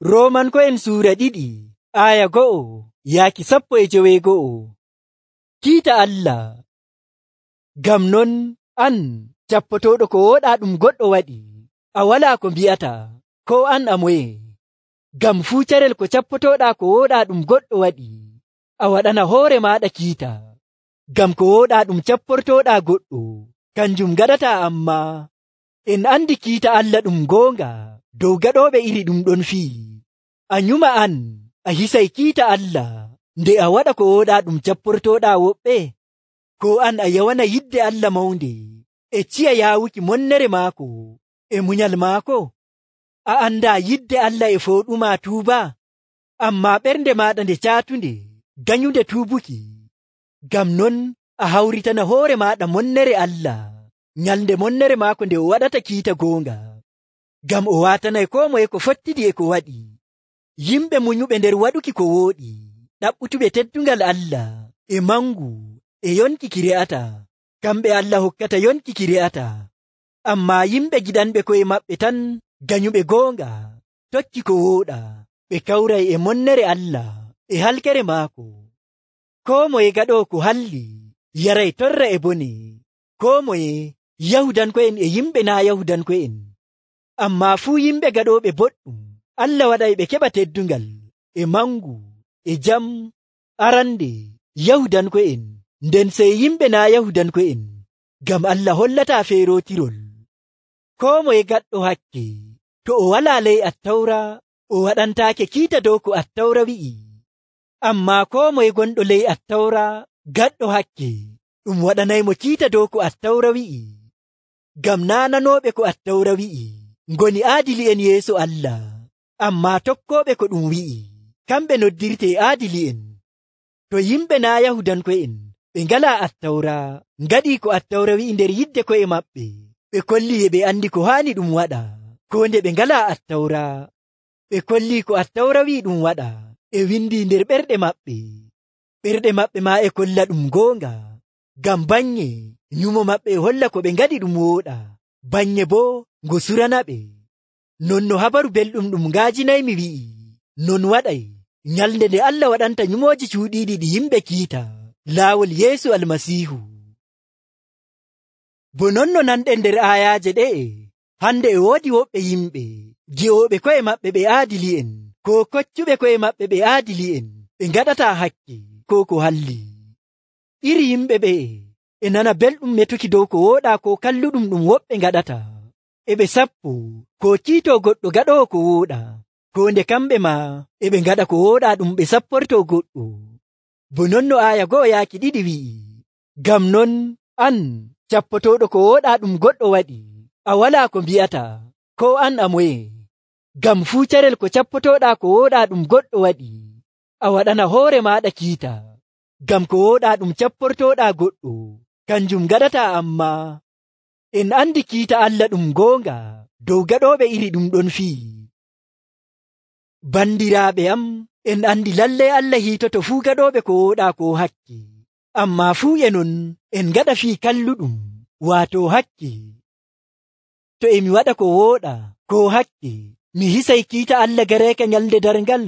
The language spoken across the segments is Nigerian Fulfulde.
Roomanko'en suura 2 aya 1 yaaki 12. Kiita Allah. Ngam non an cappotooɗo ko wooɗaa ɗum goɗɗo waɗi, a walaa ko mbi'ata, ko an a moye? Ngam fuu carel ko cappotooɗaa ko wooɗaa ɗum goɗɗo waɗi, a waɗana hoore maaɗa kiita. Ngam ko wooɗaa ɗum capportooɗaa goɗɗo, kanjum gaɗataa amma. En andi kiita Allah ɗum goonga dow gaɗooɓe iri ɗum ɗon fii. A nyuma an a hisay kiita Allah nde a waɗa ko wooɗaa ɗum capportooɗaa woɓɓe? Ko an a yawana yidde Allah mawnde e ciya yaawuki monnere maako e munyal maako? A andaa yidde Allah e fooɗumaa tuuba, ammaa ɓernde maaɗa nde caatunde ganyunde tuubuki. Ngam non a hawritana hoore maaɗa monnere Allah nyalnde monnere maako nde o waɗata kiita goonga. Ngam o waatanay koo moye ko fottidi e ko waɗi. Yimɓe munyuɓe nder waɗuki ko wooɗi, ɗaɓɓutuɓe teddungal Allah e mangu e yonki ki re'ata, kamɓe Allah hokkata yonki ki re'ata. Ammaa yimɓe giɗanɓe ko'e maɓɓe tan ganyuɓe goonga, tokki ko wooɗa, ɓe kawray e monnere Allah e halkere maako. Koo moye gaɗoo ko halli yaray torra e bone, koo moye Yahudanko'en e yimɓe naa Yahudanko'en. Ammaa fuu yimɓe gaɗooɓe boɗɗum Allah waɗay ɓe keɓa teddungal e mangu e jam. Arande Yahudanko'en, nden sey yimɓe naa Yahudanko'en, ngam Allah hollataa feerootirol. Koo moye gaɗɗo hakke to o walaa ley Attawra, o waɗantaake kiita dow ko Attawra wi'i. Ammaa koo moye gonɗo ley Attawra gaɗɗo hakke, ɗum waɗanaymo kiita dow ko Attawra wi'i. Ngam naananooɓe ko Attawra wi'i ngoni aadili'en yeeso Allah, ammaa tokkooɓe ko ɗum wi'i, kamɓe noddirtee aadili'en. To yimɓe naa Yahudanko'en ɓe ngalaa Attawra ngaɗii ko Attawra wi'i nder yidde ko'e maɓɓe, ɓe kollii e ɓe andi ko haani ɗum waɗa, koo nde ɓe ngalaa Attawra. Ɓe kollii ko Attawra wi'i ɗum waɗa e windii nder ɓerɗe maɓɓe. Ɓerɗe maɓɓe maa e kolla ɗum goonga, ngam bannye nyumo maɓɓe e holla ko ɓe ngaɗi ɗum wooɗa, bannye boo ngo surana ɓe. Non no habaru belɗum ɗum ngaajinaymi wi'i, non waɗay nyalnde nde Allah waɗanta nyumooji cuuɗiiɗi ɗi yimɓe kiita laawol Yeesu Almasiihu. Bo non no nanɗen nder aayaaje ɗe'e, hande e woodi woɓɓe yimɓe gi'ooɓe ko'e maɓɓe ɓe aadili'en, koo koccuɓe ko'e maɓɓe ɓe aadili'en, ɓe ngaɗataa hakke koo ko halli. Iri yimɓe ɓe'e e nana belɗum metuki dow ko wooɗaa koo kalluɗum ɗum woɓɓe ngaɗata, e ɓe sappo koo kiitoo goɗɗo gaɗoowo ko wooɗaa, koo nde kamɓe maa e ɓe ngaɗa ko wooɗaa ɗum ɓe sapportoo goɗɗo. Bo non no aaya 1:2 wi'i, ngam non an cappotooɗo ko wooɗaa ɗum goɗɗo waɗi, a walaa ko mbi'ata, koo an a moye? Ngam fuu carel ko cappotooɗaa ko wooɗaa ɗum goɗɗo waɗi, a waɗana hoore maaɗa kiita. Ngam ko wooɗaa ɗum capportooɗaa goɗɗo, kanjum gaɗataa amma. En andi kiita Allah ɗum goonga dow gaɗooɓe iri ɗum ɗon fii. Bandiraaɓe am, en andi lallay Allah hiitoto fuu gaɗooɓe ko wooɗaa koo hakke, ammaa fuu e non en ngaɗa fii kalluɗum, waato hakke. To emi waɗa ko wooɗaa koo hakke, mi hisay kiita Allah gareeka nyalnde darngal.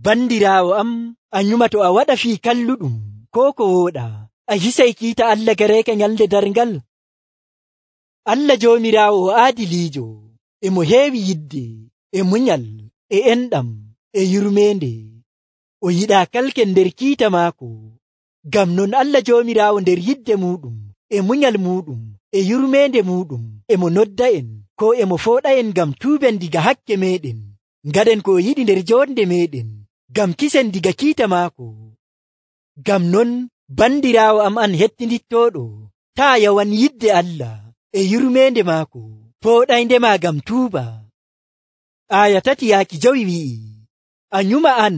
Bandiraawo am, a nyuma to a waɗa fii kalluɗum koo ko wooɗaa, a hisay kiita Allah gareeka nyalnde darngal. Allah Joomiraawo o aadiliijo, e mo heewi yidde, e munyal, e enɗam, e yurmeende. O yiɗaa kalken nder kiita maako. Ngam non Allah Joomiraawo nder yidde muuɗum, e munyal muuɗum, e yurmeende muuɗum, e mo nodda en, koo e mo fooɗa'en ngam tuuben diga hakke meeɗen, ngaɗen ko o yiɗi nder joonde meeɗen, ngam kisen diga kiita maako. Ngam non bandiraawo am an hettindittooɗo, taa yawan yidde Allah e yurmeende maako, fooɗayndema ngam tuuba. Aaya 3:5 wi'i, a nyuma an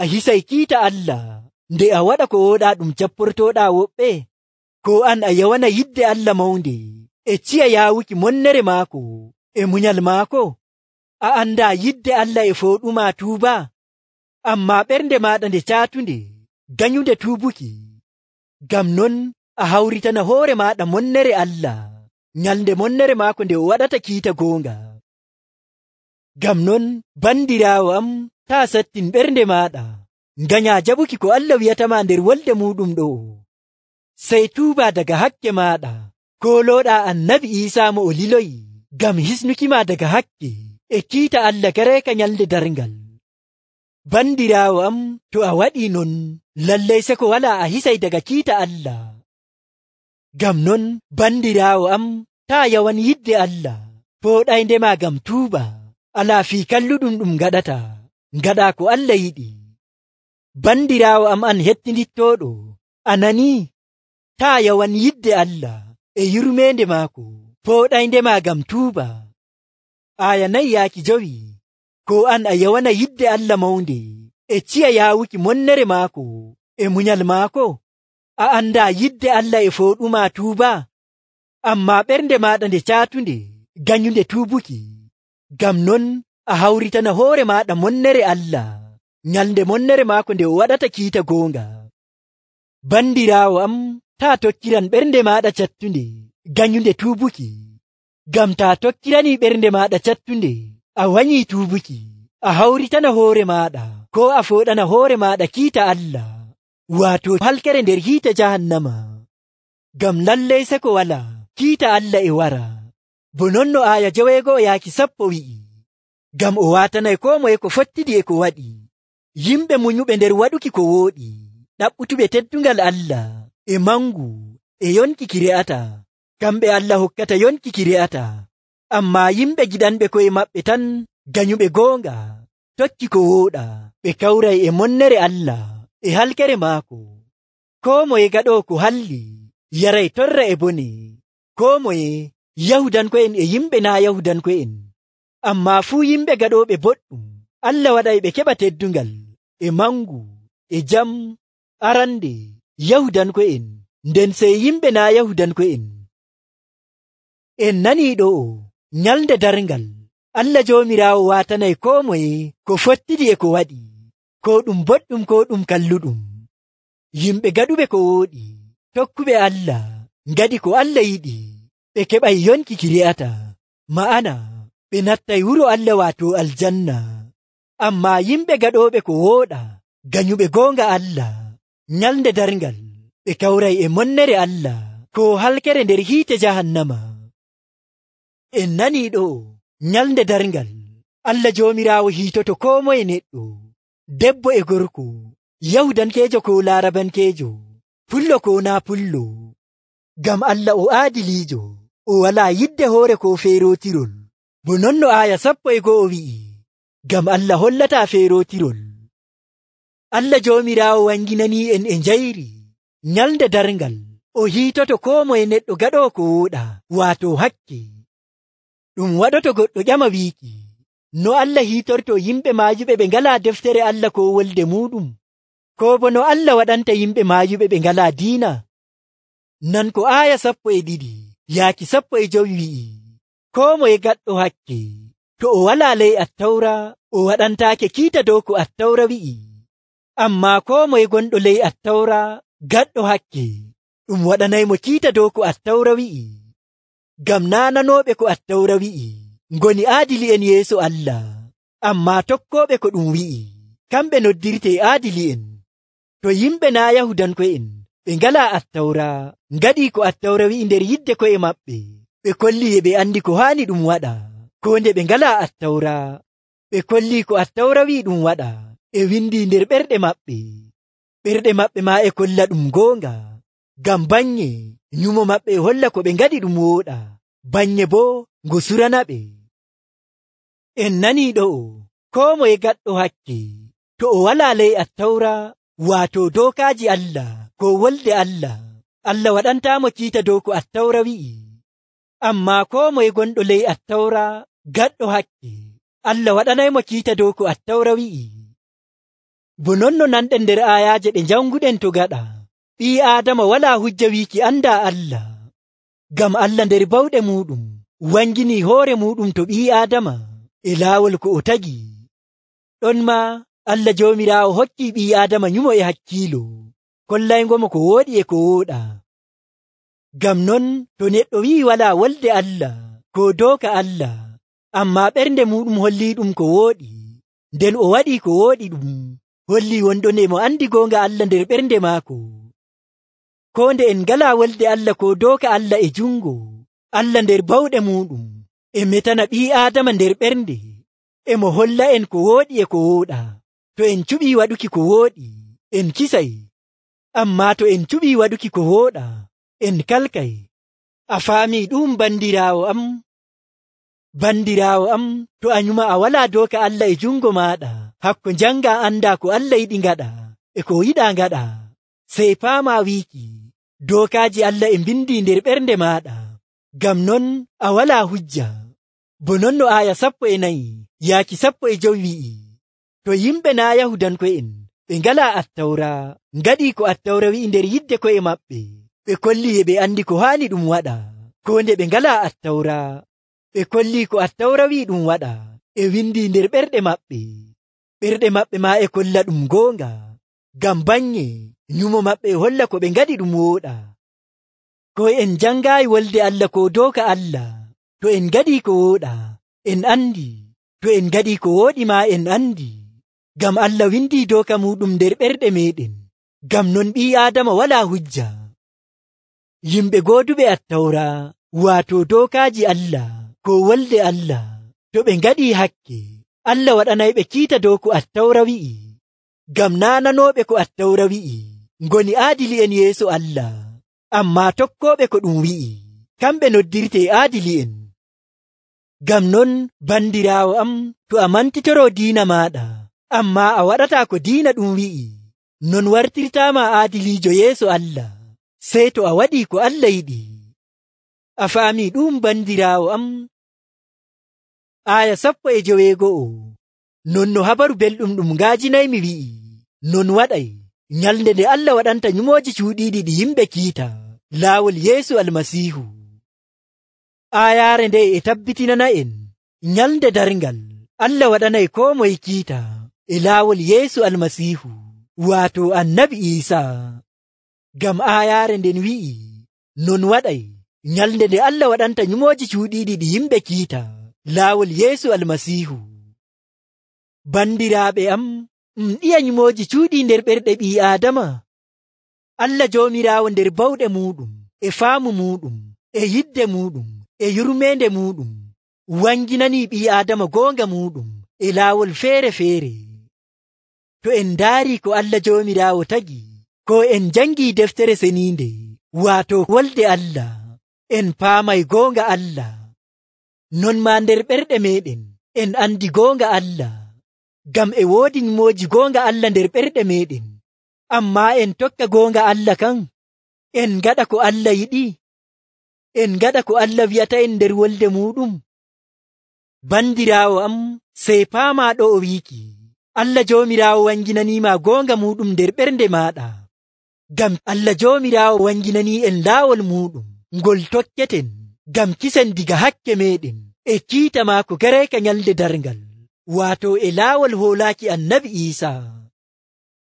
a hisay kiita Allah nde a waɗa ko wooɗaa ɗum capportooɗaa woɓɓe? Koo an a yawana yidde Allah mawnde e ciya yaawuki monnere maako e munyal maako? A andaa yidde Allah e fooɗumaa tuuba, ammaa ɓernde maaɗa nde caatunde ganyunde tuubuki. Ngam non a hawritana hoore maaɗa monnere Allah nyalnde monnere maako nde o waɗata kiita goonga. Ngam non bandiraawo am taa sattin ɓernde maaɗa nganyaa jaɓuki ko Allah wi'atama nder wolde muɗum ɗo. Sey tuuba daga hakke maaɗa koolooɗaa Annabi Iisaa mo o liloyi ngam hisnukima daga hakke e kiita Allah gareeka nyalnde darngal. Bandiraawo am, to a waɗii non, lallay seko walaa a hisay daga kiita Allah. Ngam non bandiraawo am, taa yawan yidde Allah, pooɗayndema ngam tuuba, alaa fii kalluɗum ɗum ngaɗata, ngaɗaa ko Allah yiɗi. Bandiraawo am an hettinittooɗo, a nanii? Taa yawan yidde Allah e yurmeende maako, pooɗayndema ngam tuuba. Aya 4 ko an a yawana yidde Allah mawnde e ciya yaawuki monnere maako e munyal maako. A andaa yidde Allah e fooɗuma tuuba, ammaa ɓernde maaɗa nde caatunde ganyunde tuubuki. Ngam non a hawritana hoore maaɗa monnere Allah nyalnde monnere maako nde o waɗata kiita goonga. Bandiraawo am, taa tokkiran ɓernde maaɗa cattunde ganyunde tuubuki. Ngam taa tokkiranii ɓernde maaɗa cattunde a wanyii tuubuki, a hawritana hoore maaɗa koo a fooɗana hoore maaɗa kiita Allah, waato halkere nder hiite jahannama. Ngam lallay seko walaa kiita Allah e wara. Bo non no aya 9-10 wi'i, ngam o waatanay koo moye ko fottidi e ko waɗi. Yimɓe munyuɓe nder waɗuki ko wooɗi, ɗaɓɓutuɓe teddungal Allah e mangu e yonki ki re'ata, kamɓe Allah hokkata yonki ki re'ata. Ammaa yimɓe giɗanɓe ko'e maɓɓe tan ganyuɓe goonga, tokki ko wooɗa, ɓe kawray e monnere Allah e halkere maako. Koo moye gaɗoo ko halli yaray torra e bone, koo moye Yahudanko'en e yimɓe naa Yahudanko'en. Ammaa fuu yimɓe gaɗooɓe boɗɗum, Allah waɗay ɓe keɓa teddungal e mangu e jam arande Yahudanko'en, nden sey yimɓe naa Yahudanko'en. En nanii ɗo'o, nyalnde darngal Allah Joomiraawo waatanay koo moye ko fottidi e ko waɗi, koo ɗum boɗɗum koo ɗum kalluɗum. Yimɓe gaɗuɓe ko wooɗi, tokkuɓe Allah, ngaɗi ko Allah yiɗi, ɓe keɓay yonki ki re'ata, ma'ana ɓe nattay wuro Allah waato aljanna. Ammaa yimɓe gaɗooɓe ko wooɗa, ganyuɓe goonga Allah, nyalnde darngal ɓe kawray e monnere Allah koo halkere nder hiite jahannama. En nanii ɗo, nyalnde darngal Allah Joomiraawo hiitoto koo moye neɗɗo, debbo e gorko, Yahudankeejo koo Laarabankeejo, pullo koo naa pullo. Ngam Allah o aadiliijo, o walaa yidde hoore koo feerootirol. Bo non no aya 11 wi'i, ngam Allah hollataa feerootirol. Allah Joomiraawo wanginanii en e njayri nyalnde darngal, o hiitoto koo moye neɗɗo gaɗoo ko wooɗa, waato hakke. Ɗum waɗoto goɗɗo ƴama wiiki, no Allah hiitorto yimɓe maayuɓe ɓe ngalaa deftere Allah koo wolde muɗum, koo bo no Allah waɗanta yimɓe maayuɓe ɓe ngalaa diina. Nan ko aya 12-15 wi'i, koo moye gaɗɗo hakke, to o walaa ley Attawra, o waɗantaake kiita dow ko Attawra wi'i. Ammaa koo moye gonɗo ley Attawra gaɗɗo hakke, ɗum waɗanaymo kiita dow ko Attawra wi'i. Ngam naananooɓe ko Attawra wi'i ngoni aadili'en yeeso Allah, ammaa tokkooɓe ko ɗum wi'i, kamɓe noddirtee aadili'en. To yimɓe naa Yahudanko'en ɓe ngalaa Attawra, ngaɗii ko Attawra wi'i nder yidde ko'e maɓɓe, ɓe kollii e ɓe andi ko haani ɗum waɗa, koo nde ɓe ngalaa Attawra. Ɓe kollii ko Attawra wi'i ɗum waɗa e windii nder ɓerɗe maɓɓe. Ɓerɗe maɓɓe maa e kolla ɗum goonga, ngam bannye nyumo maɓɓe e holla ko ɓe ngaɗi ɗum wooɗa, bannye boo ngo surana ɓe. En nanii ɗo'o, koo moye gaɗɗo hakke, to o walaa ley Attawra, waato dookaaji Allah koo wolde Allah, Allah waɗantaamo kiita dow ko Attawra wi'i. Ammaa koo moye gonɗo ley Attawra gaɗɗo hakke, Allah waɗanaymo kiita dow ko Attawra wi'i. Bo non no nanɗen nder aayaaje ɗe janguɗen to gaɗa, ɓii Aadama walaa hujja wiiki andaa Allah, ngam Allah nder bawɗe muɗum wanginii hoore muɗum to ɓii Aadama e laawol ko o tagi. Ɗon maa Allah Joomiraawo hokkii ɓii Aadama nyumo e hakkiilo, kollaygomo ko wooɗi e ko wooɗa. Ngam non to neɗɗo wi'i walaa wolde Allah koo dooka Allah, ammaa ɓernde muɗum hollii ɗum ko wooɗi. Nden o waɗii ko wooɗi ɗum hollii wonɗon mo andi goonga Allah nder ɓernde maako. Koo nde en ngalaa wolde Allah ko dooka Allah e jungo Allah nder bawɗe muɗum, e metana ɓii Aadama nder ɓernde, emo holla en ko wooɗi e ko wooɗaa. To en cuɓii waɗuki ko wooɗi, en kisay. Ammaa to en cuɓii waɗuki ko wooɗaa, en kalkay. A faamii ɗum bandiraawo am? Bandiraawo am, to a nyuma a walaa dooka Allah e jungo maaɗa, hakko njanga andaa ko Allah yiɗi ngaɗa e ko yiɗaa ngaɗa, sey paamaa wiiki dookaaji Allah e mbindii nder ɓernde maaɗa. Ngam non a walaa hujja. Bo non no aaya 14 yaaki 15 wi'i, to yimɓe naa Yahudanko'en ɓe ngalaa Attawra ngaɗii ko Attawra wi'i nder yidde ko'e maɓɓe, ɓe kollii e ɓe andi ko haani ɗum waɗa. Koo nde ɓe ngalaa Attawra, ɓe kollii ko Attawra wi'i ɗum waɗa e windii nder ɓerɗe maɓɓe. Ɓerɗe maɓɓe maa e kolla ɗum goonga, ngam bannye nyumo maɓɓe e holla ko ɓe ngaɗi ɗum wooɗa. Ko en jangaayi wolde Allah ko dooka Allah, to en ngaɗii ko wooɗa, en andi. To en ngaɗii ko wooɗi maa en andi, ngam Allah windii dooka muɗum nder ɓerɗe meeɗen. Ngam non ɓii Aadama walaa hujja. Yimɓe gooduɓe Attawra, waato dookaaji Allah ko wolde Allah, to ɓe ngaɗii hakke, Allah waɗanayɓe kiita dow ko Attawra wi'i. Ngam naananooɓe ko Attawra wi'i ngoni aadili'en yeeso Allah, ammaa tokkooɓe ko ɗum wi'i, kamɓe noddirtee aadili'en. Ngam non bandiraawo am, to a mantitoroo diina maaɗa, ammaa a waɗataa ko diina ɗum wi'i, non wartirtaama aadiliijo yeeso Allah, sey to a waɗii ko Allah yiɗi. A faamii ɗum bandiraawo am? Aaya 11 non no habaru belɗum ɗum ngaajinaymi wi'i, non waɗay nyalnde nde Allah waɗanta nyumooji cuuɗiiɗi ɗi yimɓe kiita laawol Yeesu Almasiihu. Aayaare nde e tabbitinana en nyalnde darngal Allah waɗanay koo moye kiita e laawol Yeesu Almasiihu, waato Annabi Iisaa. Ngam aayaare nden wi'i, non waɗay nyalnde nde Allah waɗanta nyumooji cuuɗiiɗi ɗi yimɓe kiita laawol Yeesu Almasiihu. Bandiraaɓe am, ɗiya nyumooji cuuɗii nder ɓerɗe ɓii Aadama. Allah Joomiraawo nder bawɗe muuɗum e faamu muuɗum e yidde muuɗum e yurmeende muuɗum wanginanii ɓii Aadama goonga muuɗum e laawol feere-feere. To en ndaarii ko Allah Joomiraawo tagi, ko en jangii deftere seniinde, waato wolde Allah, en paamay goonga Allah. Non maa nder ɓerɗe meeɗen en andi goonga Allah, ngam e woodi nyumooji goonga Allah nder ɓerɗe meeɗen. Ammaa en tokka goonga Allah kan, en ngaɗa ko Allah yiɗi, en ngaɗa ko Allah wi'ata en nder wolde muɗum. Bandiraawo am, sey paamaa ɗo o wiiki, Allah Joomiraawo wanginaniima goonga muɗum nder ɓernde maaɗa. Ngam Allah Joomiraawo wanginanii en laawol muɗum ngol tokketen, ngam kisen diga hakke meeɗen e kiita maako gareeka nyalde darngal, waato e laawol hoolaaki Annabi Iisaa.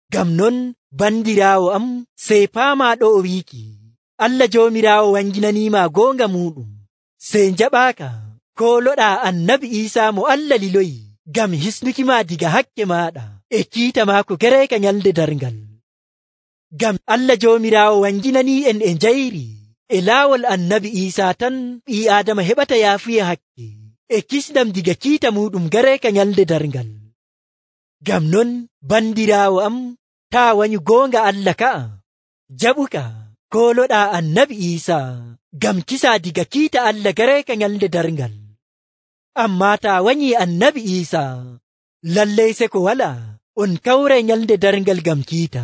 Ngam non bandiraawo am, sey paamaa ɗo o wiiki, Allah Joomiraawo wanginaniima goonga muɗum, sey njaɓaaka kooloɗaa Annabi Iisaa mo Allah liloyi, ngam hisnuki maa diga hakke maaɗa e kiita maako gareeka nyalde darngal. Ngam Allah Joomiraawo wanginanii en e njayri e laawol Annabi Iisaa tan ɓii Aadama heɓata yaafuye hakke e kisɗam diga kiita muɗum gareeka nyalde darngal. Ngam non bandiraawo am, taa wanyu goonga Allah ka'a, jaɓuka kooloɗaa Annabi Iisaa ngam kisaa diga kiita Allah gareeka nyalde darngal. Ammaa taa wanyii Annabi Iisaa, lallay se ko walaa on kawray nyalde darngal ngam kiita.